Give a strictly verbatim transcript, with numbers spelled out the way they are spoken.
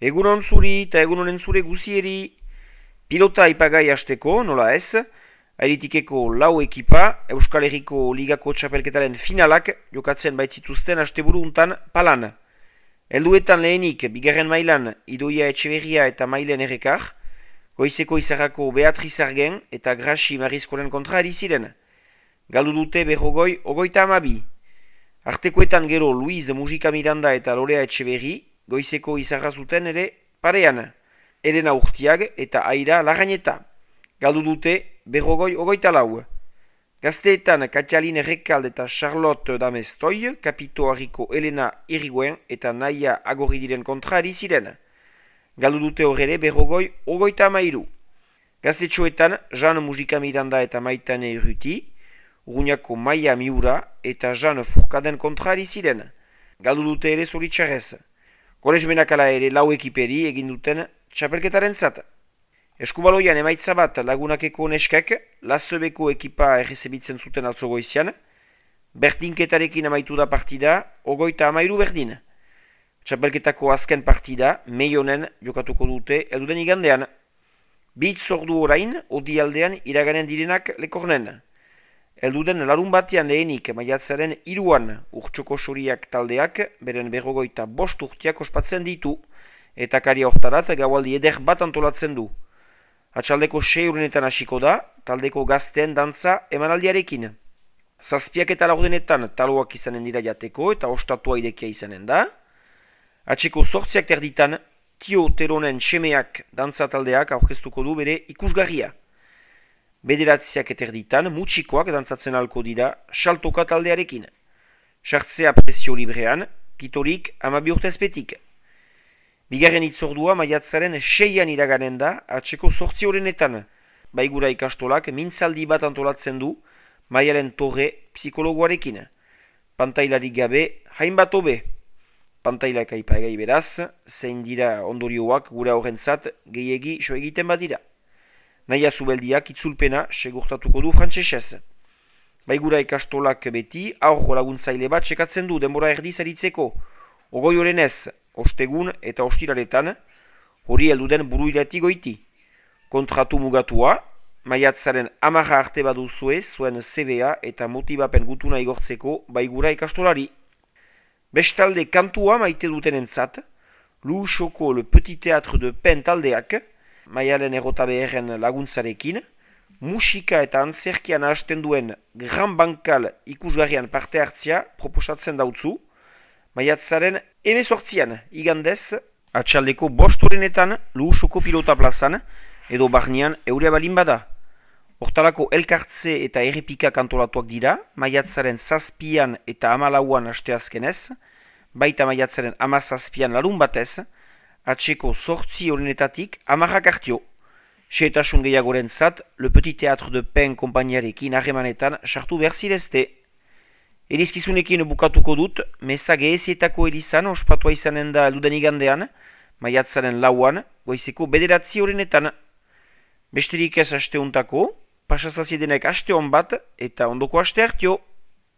Egunon zuri eta egunonen zure guzieri. Pilota ipagai hasteko, nola ez, Airetikeko lau ekipa Euskal Herriko Ligako txapelketaren finalak jokatzen baitzituzten asteburu untan palan. Helduetan lehenik, bigarren mailan Idoia Etxeberria eta Mailen Errekar, Goizeko Izarrako Beatriz Argen eta Grasi Marizkoren kontra ari ziren. Galdu dute berrogoi ogoita amabi. Artekoetan gero Luiz Mujika Miranda eta Lorea Etxeberri, Goizeko Izarra zuten ere parean. Elena Urtiag eta Aira Larrañeta. Galdu dute berrogoi ogoita lau. Gazteetan Katialin Errekald eta Charlotte Damestoi, Kapito Harriko Elena Iriguen eta Naia Agorridiren kontra ari ziren. Galdu dute horre berrogoi ogoita amairu. Gaztetxoetan Jean Mujika Miranda eta Maitane Urruti, Urruñako Maia Miura eta Jean Furkaden kontra ari ziren. Galdu dute ere zoritxarrez. Goresmenakala ere lau ekiperi egin duten txapelketaren zat. Eskubaloian emaitza bat Lagunakeko neskek, Lazebeko ekipa errezebitzen zuten atzogoizian, berdinketarekin amaitu da partida, ogoita amairu berdin. Txapelketako azken partida, Meionen jokatuko dute elduden igandean. Bitz ordu orain, odi aldean iraganen direnak lekornen. Elduden larun batean lehenik maiatzaren iruan urtsoko soriak taldeak, beren berrogoita bost urtiak ospatzen ditu, eta karia hortarat gaualdi eder bat antolatzen du. Atxaldeko sei urenetan hasiko da, taldeko gazteen dantza emanaldiarekin. Zazpiak eta laurdenetan taloak izanen dira jateko eta ostatua irekia izanen da. Atxeko sortziak terditan, Tio Teronen semeak dantza taldeak aurkeztuko du bere ikusgarria. Bederatziak eterditan, mutxikoak dantzatzen alko dira saltoka taldearekin. Sartzea presio librean, kitorik amabi urtezpetik. Bigarren itzordua maiatzaren seian iraganen da, atxeko sortzi horrenetan. Baigura ikastolak mintzaldi bat antolatzen du, Maialen Torre psikologoarekin. Pantailarik gabe, hainbat hobe. Pantailak aipagai beraz, zein dira ondorioak gure horrentzat gehiegi so egiten badira. Naia zubeldiak itzulpena segurtatuko du frantsesez. Baigura ikastolak beti aurro laguntzaile bat sekatzen du denbora erdiz aritzeko. Ogoi horrenez, ostegun eta ostiraretan, hori helduden buruirati goiti. Kontratu mugatua, maiatzaren amarra arte baduzue zuen C V A eta motibapen gutuna igortzeko baigura ikastolari. Bestalde kantua maite duten entzat, Luusoko Le Petit Théâtre de Pen taldeak, Maialen errotabeeren laguntzarekin, musika eta antzerkian hasten duen Gran Bankal ikusgarrian parte hartzia proposatzen dautzu, maiatzaren emezortzian igandez, atxaldeko bost horrenetan Luusoko pilota plazan, edo barnean eurea balin bada. Hortalako elkartze eta errepika kantolatuak dira, maiatzaren zazpian eta amalauan asteazkenez, baita maiatzaren amazazpian larun batez, atxeko sortzi horrenetatik amarrak hartio. Seetasun gehiagoren zat, Le Petit Théâtre de Pen kompainiarekin harremanetan sartu behar zidezte. Erizkizunekin bukatuko dut, meza gehezietako elizan ospatua izanen da elduden igandean, maiatzaren lauan, goizeko bederatzi horrenetan. Besterik ez asteuntako, pasazaziedenek aste hon bat eta ondoko aste hartio.